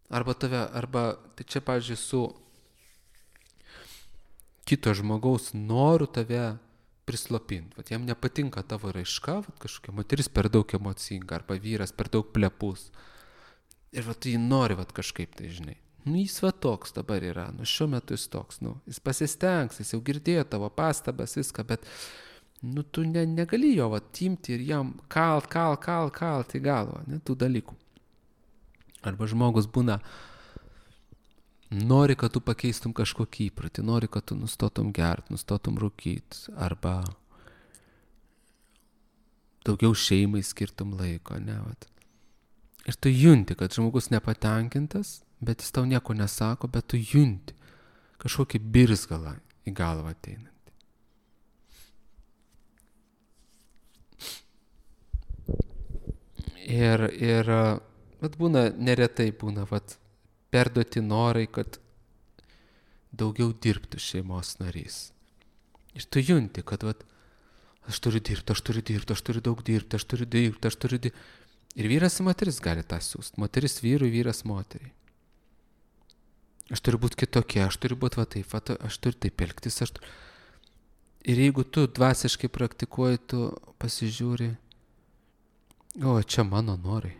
Arba tai čia, pavyzdžiui, su kito žmogaus noru tave prislopinti. Jam nepatinka tavo raiška, kažkokia moteris per daug emocinga, arba vyras per daug plepus. Ir tu jį nori kažkaip tai, žinai. Jis toks dabar yra, šiuo metu jis toks, jis pasistengs, jis jau girdėjo tavo pastabas, viską, bet tu negali jo imti ir jam kalt į galvą, tų dalykų. Arba žmogus būna, nori, kad tu pakeistum kažkokį įprotį, nori, kad tu nustotum gert, nustotum rūkyti, arba daugiau šeimai skirtum laiko, ne, Ir tu junti, kad žmogus nepatenkintas, bet jis tau nieko nesako, bet tu junti kažkokį birzgalą į galvą ateinantį. Ir būna, neretai būna, perduoti norai, kad daugiau dirbtų šeimos narys. Ir tu junti, kad aš turiu daug dirbti. Ir vyras ir moteris gali tą siūsti. Moteris vyrui, vyras moteriai. Aš turiu būti kitokia, aš turiu būti taip, aš turiu taip elgtis. Ir jeigu tu dvasiškai praktikuoji, tu pasižiūri, čia mano norai.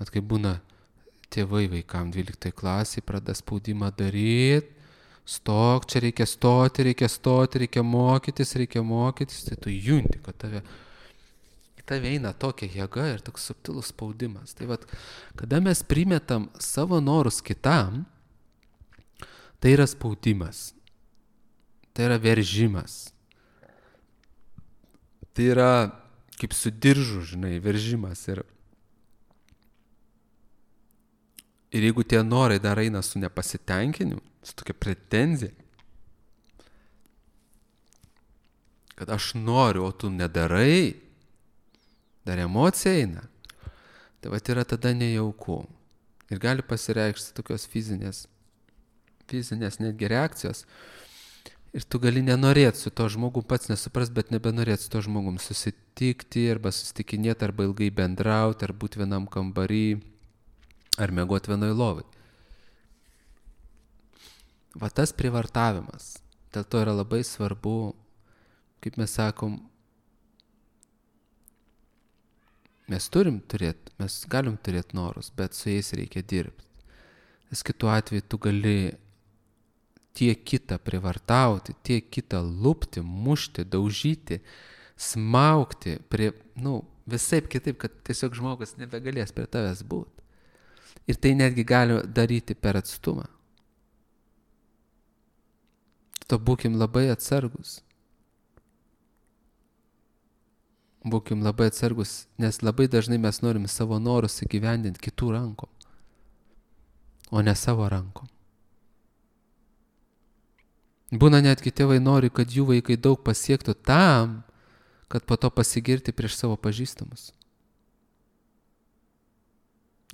Kaip būna tėvai vaikam 12 klasiai, pradeda spaudimą daryti, stok, čia reikia stoti, reikia mokytis, tai tu junti, kad tave eina tokia jėga ir toks subtilus spaudimas. Tai kada mes primetam savo norus kitam, tai yra spaudimas, tai yra veržimas, tai yra kaip su diržu, žinai, veržimas. Ir jeigu tie norai dar eina su nepasitenkinimu, su tokia pretenzija, kad aš noriu, o tu nedarai, dar emocija eina, tai yra tada nejauku. Ir gali pasireikšti tokios fizinės netgi reakcijos. Ir tu gali nenorėti su to žmogum, pats nesupras, bet nebenorėti su to žmogum susitikti, arba susitikinėti, arba ilgai bendrauti, ar būti vienam kambarį, ar miegoti vienoj lovai. Tas prievartavimas. Dėl to yra labai svarbu, kaip mes sakom, Mes galim turėti norus, bet su jais reikia dirbti. Nes kitu atveju tu gali tiek kitą privartauti, tiek kitą lupti, mušti, daužyti, smaugti, visaip kitaip, kad tiesiog žmogus nebegalės prie tavęs būti. Ir tai netgi gali daryti per atstumą. To būkim labai atsargus. Būkim labai atsargus, nes labai dažnai mes norim savo norus įgyvendinti kitų rankom, o ne savo rankom. Būna netgi tėvai nori, kad jų vaikai daug pasiektų tam, kad po to pasigirti prieš savo pažįstamus.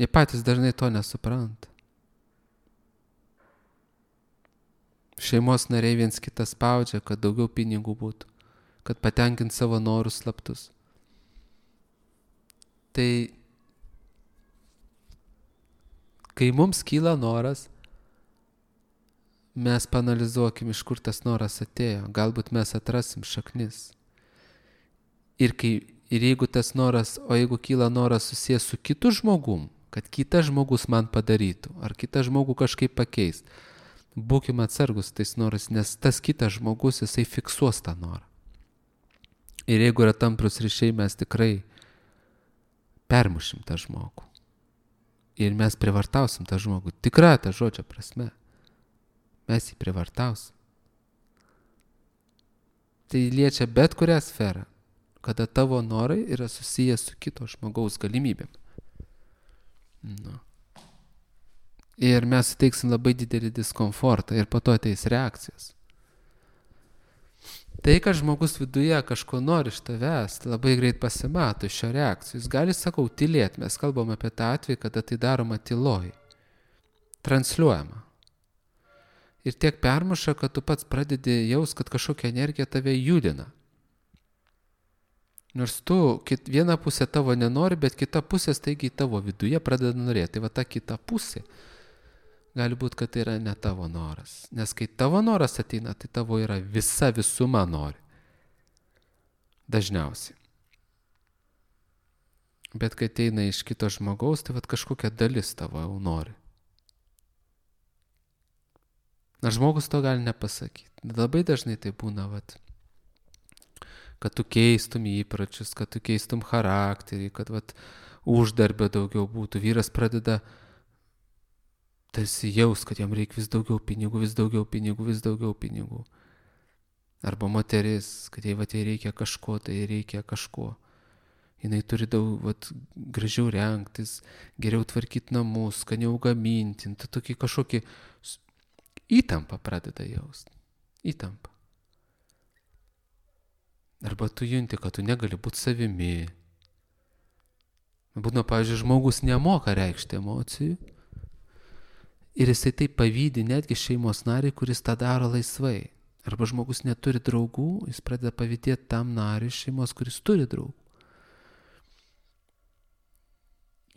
Jie patys dažnai to nesupranta. Šeimos nariai viens kitą spaudžia, kad daugiau pinigų būtų, kad patenkint savo norus slaptus. Tai kai mums kyla noras, mes paanalizuokim, iš kur tas noras atėjo. Galbūt mes atrasim šaknis. Ir jeigu tas noras, jeigu kyla noras susijęs su kitu žmogum, kad kitas žmogus man padarytų, ar kitas žmogų kažkaip pakeis, būkim atsargus tais noras, nes tas kitas žmogus, jisai fiksuos tą norą. Ir jeigu yra tamprus ryšiai, mes tikrai permušim tą žmogų. Ir mes privartausim tą žmogų. Tikra ta žodžio prasme. Mes jį privartausim. Tai liečia bet kurią sferą, kada tavo norai yra susijęs su kito žmogaus galimybėm. Ir mes suteiksim labai didelį diskomfortą ir po to ateis reakcijos. Tai, kad žmogus viduje kažko nori iš tavęs, labai greit pasimato iš šio reakcijų. Jis gali, tylėti. Mes kalbam apie tą atvejį, kada tai daroma tyloj. Transliuojama. Ir tiek permuša, kad tu pats pradedi jaus, kad kažkokia energija tave judina. Nors tu vieną pusę tavo nenori, bet kita pusė staigiai tavo viduje pradeda norėti. Tai va ta kita pusė gali būti, kad tai yra ne tavo noras. Nes kai tavo noras ateina, tai tavo yra visuma nori. Dažniausiai. Bet kai ateina iš kito žmogaus, tai va kažkokia dalis tavo jau nori. Na, žmogus to gali nepasakyti. Labai dažnai tai būna, kad tu keistum įpročius, kad tu keistum charakterį, kad uždarbio daugiau būtų. Vyras pradeda tarsi jaus, kad jam reikia vis daugiau pinigų. Arba moteris, kad jai reikia kažko, tai reikia kažko. Jinai turi daug gražiau rengtis, geriau tvarkyti namus, skaniau gaminti. Tai tokį kažkokį įtampą pradeda jausti. Įtampą. Arba tu junti, kad tu negali būti savimi. Būna, pavyzdžiui, žmogus nemoka reikšti emocijų. Ir jisai taip pavydi netgi šeimos nariai, kuris tą daro laisvai. Arba žmogus neturi draugų, jis pradeda pavydėti tam nariui šeimos, kuris turi draugų.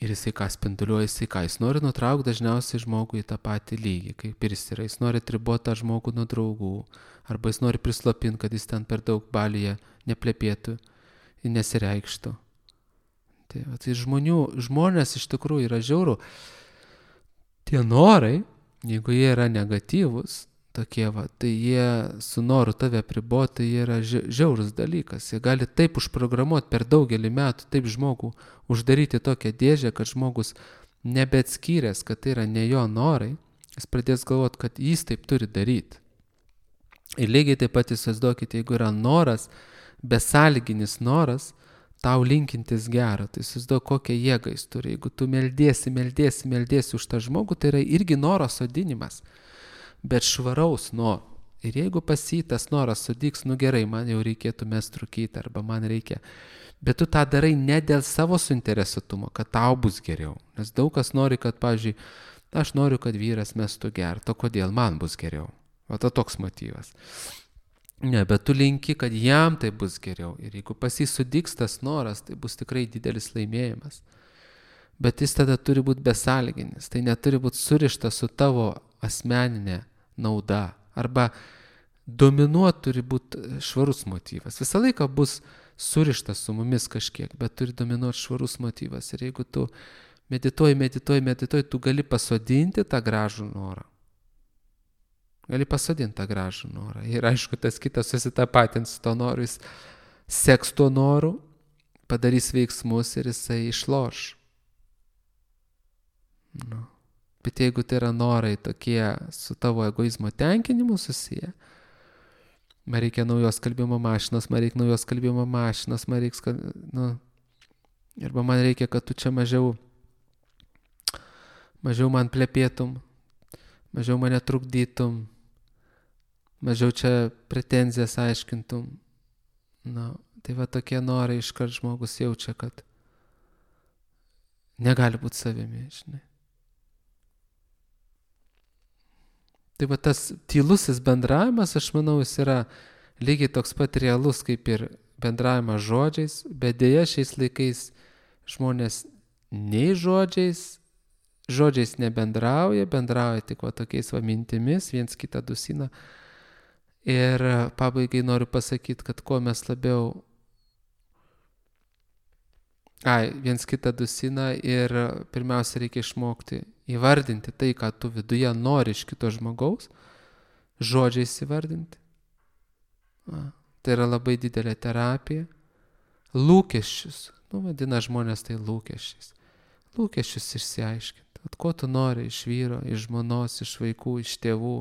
Ir jisai ką spinduliuoja, jis nori nutraukti dažniausiai žmogų į tą patį lygį, kaip ir jis yra. Jis nori atriboti tą žmogų nuo draugų, arba jis nori prislopinti, kad jis ten per daug balyje neplepėtų ir nesireikštų. Tai žmonės iš tikrųjų yra žiauru. Tie norai, jeigu jie yra negatyvus, tokie tai jie su noru tave apriboti, tai jie yra žiaurus dalykas. Jie gali taip užprogramuoti per daugelį metų, taip žmogų uždaryti tokią dėžę, kad žmogus nebeatskyręs, kad tai yra ne jo norai, jis pradės galvoti, kad jis taip turi daryti. Ir lygiai taip pat įsivaizduokite, jeigu yra noras, besąlyginis noras, tau linkintis gero, tai įsivaizduok, kokią jėgą jis turi. Jeigu tu meldiesi už tą žmogų, tai yra irgi noro sodinimas, bet švaraus noro. Ir jeigu pas jį tas noras sudyks, gerai, man jau reikėtų mest rūkyti, arba man reikia. Bet tu tą darai ne dėl savo suinteresuotumo, kad tau bus geriau. Nes daug kas nori, kad, pavyzdžiui, aš noriu, kad vyras mestų gerti, o kodėl man bus geriau. O to toks motyvas. Ne, bet tu linki, kad jam tai bus geriau. Ir jeigu pas jį sudyks tas noras, tai bus tikrai didelis laimėjimas. Bet jis tada turi būti besąlyginis. Tai neturi būti surištas su tavo asmeninė nauda. Arba dominuoti turi būti švarus motyvas. Visą laiką bus surištas su mumis kažkiek, bet turi dominuoti švarus motyvas. Ir jeigu tu medituoji, tu gali pasodinti tą gražų norą. Gali pasodinti tą gražų norą. Ir aišku, tas kitas susitapatins su to noru, jis seks tuo noru, padarys veiksmus ir jisai išloš. Nu. Bet jeigu tai yra norai tokie su tavo egoizmo tenkinimu susiję, man reikia naujos kalbimo mašinos, arba man reikia, kad tu čia mažiau man plepėtum, mažiau mane trukdytum, mažiau čia pretenzijas aiškintum. Tai va tokie norai iškart žmogus jaučia, kad negali būti savimi, žinai. Tai va tas tylusis bendravimas, aš manau, jis yra lygiai toks pat realus kaip ir bendravimas žodžiais, bet dėja šiais laikais žmonės nei žodžiais nebendrauja, bendrauja tik va tokiais va mintimis, viens kitą dusina. Ir pabaigai noriu pasakyti, kad kuo mes labiau viens kitą dusina ir pirmiausia reikia išmokti įvardinti tai, ką tu viduje nori iš kito žmogaus, žodžiais įvardinti. Tai yra labai didelė terapija. Lūkesčius, vadina žmonės tai lūkesčiais. Lūkesčius išsiaiškinti. Ko tu nori iš vyro, iš žmonos, iš vaikų, iš tėvų,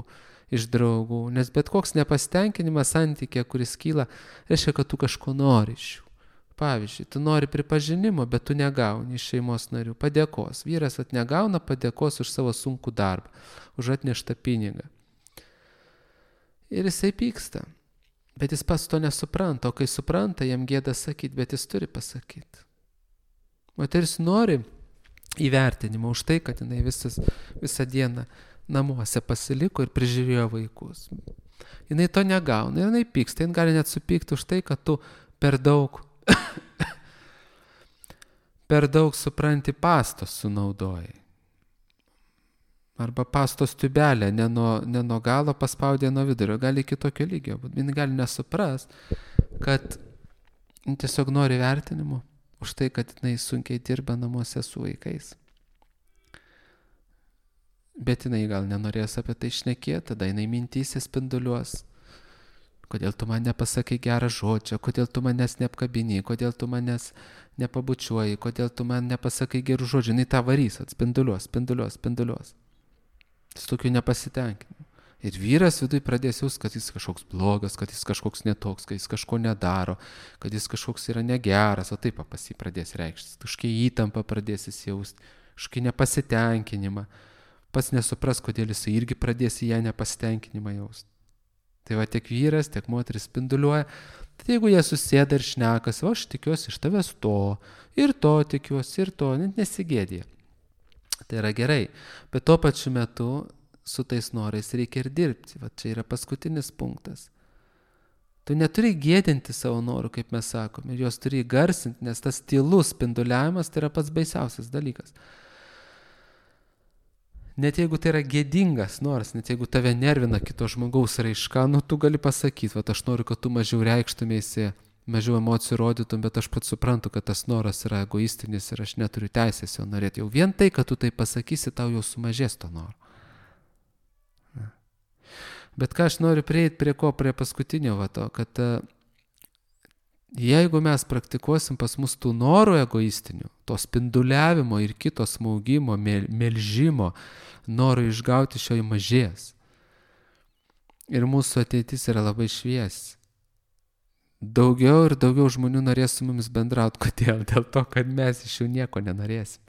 iš draugų. Nes bet koks nepasitenkinimas santykė, kuris kyla, reiškia, kad tu kažko nori iš jų. Pavyzdžiui, tu nori pripažinimo, bet tu negauni iš šeimos narių. Padėkos. Vyras negauna padėkos už savo sunkų darbą, už atneštą pinigą. Ir jisai pyksta. Bet jis pats to nesupranta. O kai supranta, jam gėda sakyti, bet jis turi pasakyti. Moteris nori įvertinimo už tai, kad jinai visą dieną namuose pasiliko ir prižiūrėjo vaikus. Jinai to negauna. Jinai pyksta. Jinai gali net supykti už tai, kad tu per daug supranti pastos sunaudojai. Arba pastos tubelę ne nuo galo paspaudė nuo vidurio, gali kitokio lygio. Jis gali nesupras, kad tiesiog nori vertinimo už tai, kad jinai sunkiai dirba namuose su vaikais. Bet jinai gal nenorės apie tai šnekėti, tada jinai mintyse spinduliuos. Kodėl tu man nepasakai gerą žodžią, kodėl tu manęs neapkabini, kodėl tu manęs nepabučiuoji, kodėl tu man nepasakai gerų žodžių. Jinai tą varys, spinduliuos. Su tokiu nepasitenkinimu. Ir vyras viduj pradės jaust, kad jis kažkoks blogas, kad jis kažkoks netoks, kad jis kažko nedaro, kad jis kažkoks yra negeras, o taip pas jį pradės reikštis. Kažkokia įtampa pradės jis jaust, kažkokia nepasitenkinimą. Pats nesupras, kodėl jis irgi pradės į ją nepasitenkinimą jaust. Tai va tiek vyras, tiek moteris spinduliuoja. Tai jeigu jie susėda ir šnekas, aš tikiuosi iš tavęs to, ir to tikiuosi, ir to, net nesigėdė. Tai yra gerai. Bet tuo pačiu metu su tais norais reikia ir dirbti. Va čia yra paskutinis punktas. Tu neturi gėdinti savo norų, kaip mes sakome, ir juos turi įgarsinti, nes tas tylus spinduliavimas tai yra pats baisiausias dalykas. Net jeigu tai yra gėdingas noras, net jeigu tave nervina kito žmogaus raiška, tu gali pasakyti, va aš noriu, kad tu mažiau reikštumėsi, mažiau emocijų rodytum, bet aš pats suprantu, kad tas noras yra egoistinis ir aš neturiu teisės jo norėti. Jau vien tai, kad tu tai pasakysi, tau jau sumažės to noro. Bet ką aš noriu prieiti prie paskutinio vato, kad jeigu mes praktikuosim pas mus tų norų egoistinių, to spinduliavimo ir kito smaugimo, melžimo, norų išgauti šio mažės. Ir mūsų ateitis yra labai šviesi. Daugiau ir daugiau žmonių norės su mumis bendrauti. Kodėl? Dėl to, kad mes iš jų nieko nenorėsim.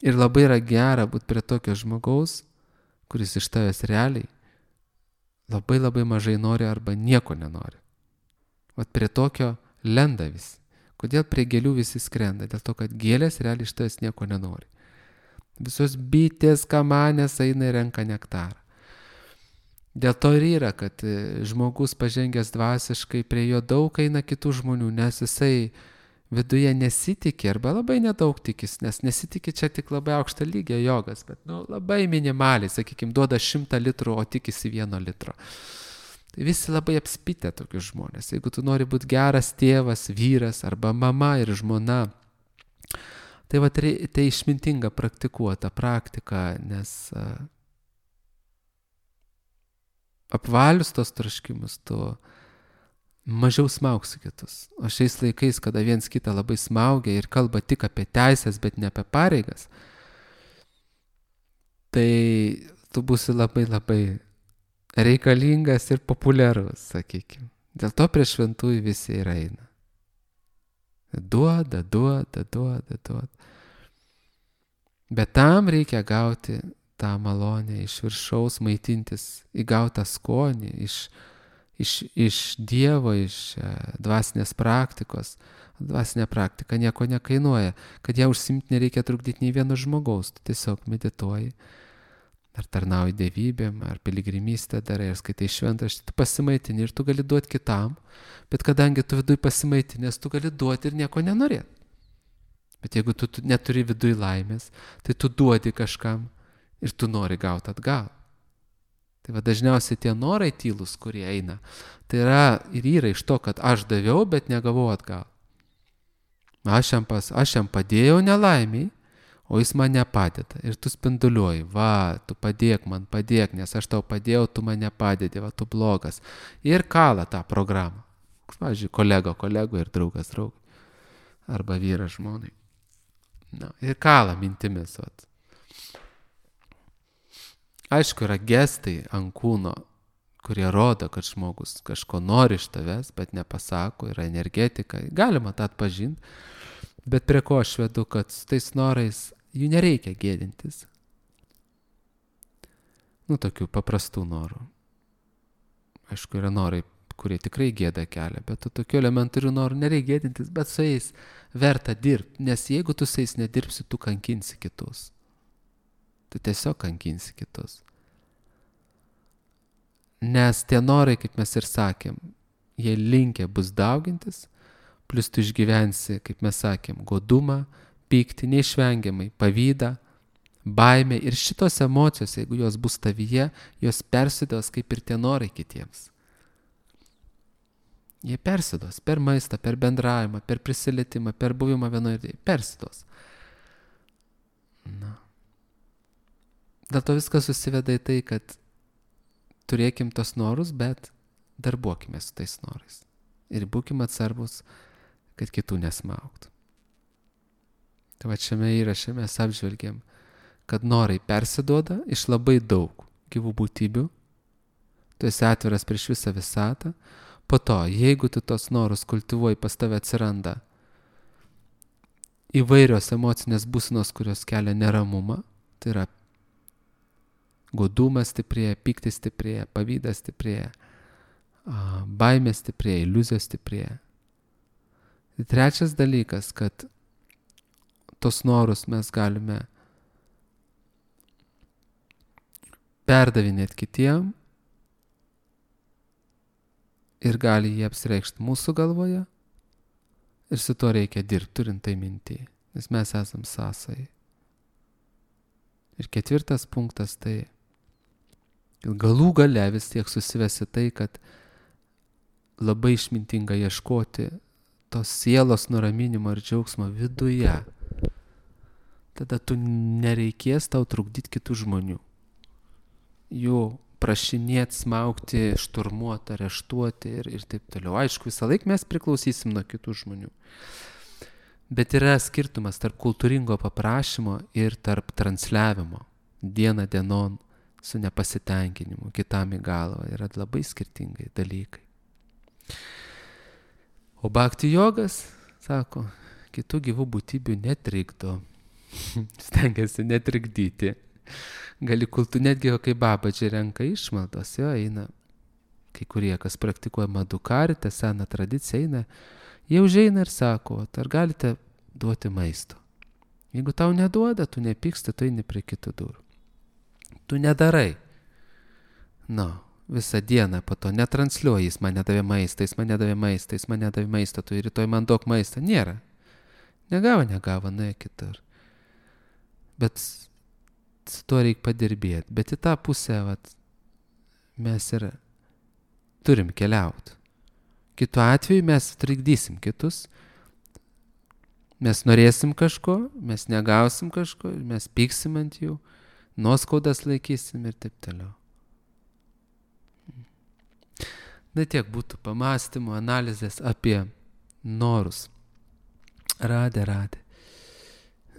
Ir labai yra gera būti prie tokio žmogaus, kuris iš tavęs realiai labai labai mažai nori arba nieko nenori. Vat prie tokio lenda visi. Kodėl prie gėlių visi skrenda? Dėl to, kad gėlės realiai iš tavęs nieko nenori. Visos bitės, kamanės eina ir renka nektarą. Dėl to ir yra, kad žmogus pažengęs dvasiškai prie jo daug eina kitų žmonių, nes jisai viduje nesitikė arba labai nedaug tikis, nes nesitikė čia tik labai aukštą lygio jogas, bet labai minimaliai, sakykime, duoda 100 litrų, o tikisi 1 litro. Tai visi labai apspitę tokius žmonės. Jeigu tu nori būti geras tėvas, vyras arba mama ir žmona, tai va tai išmintinga praktikuota praktika, nes apvalius tos troškimus, tu mažiau smaugsi kitus. O šiais laikais, kada viens kitą labai smaugia ir kalba tik apie teisės, bet ne apie pareigas, tai tu būsi labai labai reikalingas ir populiarus, sakykime. Dėl to prie šventųjų visi ir eina. Duoda. Bet tam reikia gauti tą malonę iš viršaus, maitintis, įgautą skonį iš Dievo, iš dvasinės praktikos. Dvasinė praktika nieko nekainuoja. Kad ją užsimti nereikia trukdyti nei vieno žmogaus. Tu tiesiog medituoji, ar tarnauji dievybėm, ar piligrimystę darai, ar skaitai šventraštį, tu pasimaitini ir tu gali duoti kitam. Bet kadangi tu viduj pasimaitinės, tu gali duoti ir nieko nenorėti. Bet jeigu tu neturi viduj laimės, tai tu duodi kažkam ir tu nori gauti atgal. Tai va dažniausiai tie norai tylus, kurie eina, tai yra iš to, kad aš daviau, bet negavau atgal. Aš jam padėjau nelaimiai, o jis man nepadeda. Ir tu spinduliuoji, va, tu padėk, nes aš tau padėjau, tu man nepadedi, va, tu blogas. Ir kala tą programą. Pavyzdžiui, kolegų ir draugas draugui. Arba vyras žmonai. Ir kala mintimis, va. Aišku, yra gestai ant kūno, kurie rodo, kad žmogus kažko nori iš tavęs, bet nepasako, yra energetika, galima tą atpažinti, bet prie ko aš vedu, kad su tais norais jų nereikia gėdintis. Tokių paprastų norų. Aišku, yra norai, kurie tikrai gėda kelia, bet tokių elementarių norų nereikia gėdintis, bet su jais verta dirbti, nes jeigu tu su jais nedirbsi, tu kankinsi kitus. Tu tiesiog kankinsi kitus. Nes tie norai, kaip mes ir sakėm, jie linkę bus daugintis, plus tu išgyvensi, kaip mes sakėm, godumą, pyktį, neišvengiamai, pavydą, baimę ir šitos emocijos, jeigu jos bus tavyje, jos persiduos kaip ir tie norai kitiems. Jie persiduos per maistą, per bendravimą, per prisilietimą, per buvimą vienoje, persiduos. Dėl to viskas susiveda į tai, kad turėkim tos norus, bet darbuokime su tais norais. Ir būkim atsargus, kad kitų nesmaugtų. Tai va šiame įraše mes apžvelgiam, kad norai persiduoda iš labai daug gyvų būtybių. Tu esi atviras prieš visą visatą. Po to, jeigu tu tos norus kultivuoji, pas tave atsiranda įvairios emocinės būsenos, kurios kelia neramumą. Tai yra godumas stiprėja, pyktis stiprėja, pavydas stiprėja, baimė stiprėja, iliuzijos stiprėja. Ir trečias dalykas, kad tos norus mes galime perdavinėti kitiem ir gali jie apsireikšti mūsų galvoje ir su to reikia dirbti, turint tai minty, nes mes esam sąsajai. Ir ketvirtas punktas tai galų gale vis tiek susivesi tai, kad labai išmintinga ieškoti tos sielos nuraminimo ir džiaugsmo viduje. Tada tu nereikės tau trukdyti kitų žmonių. Jų prašinėti, smaugti, šturmuoti, areštuoti ir taip toliau. Aišku, visą laiką mes priklausysim nuo kitų žmonių. Bet yra skirtumas tarp kultūringo paprašymo ir tarp transliavimo. Diena dienon su nepasitenkinimu, kitam į galvą. Yra labai skirtingai dalykai. O bhakti jogas, sako, kitų gyvų būtybių netrikdo. Stengiasi netrikdyti. Gali netgi kai babadžiai renka išmaldos, jo eina. Kai kurie, kas praktikuoja madukaritę, seną tradiciją, eina, jie užeina ir sako, ar galite duoti maisto. Jeigu tau neduoda, tu nepyksti, tu eini prie kitų durų. Tu nedarai. Visą dieną po to netransliuoji, jis man nedavė maistą, tu rytoj man duok maistą. Nėra. Negavo, nuėjo kitur. Bet su to reikia padirbėti. Bet į tą pusę mes ir turim keliauti. Kitu atveju mes trikdysim kitus, mes norėsim kažko, mes negausim kažko, mes pyksim ant jų, nuoskaudas laikysim ir taip toliau. Na tiek būtų pamastymų, analizės apie norus. Radė.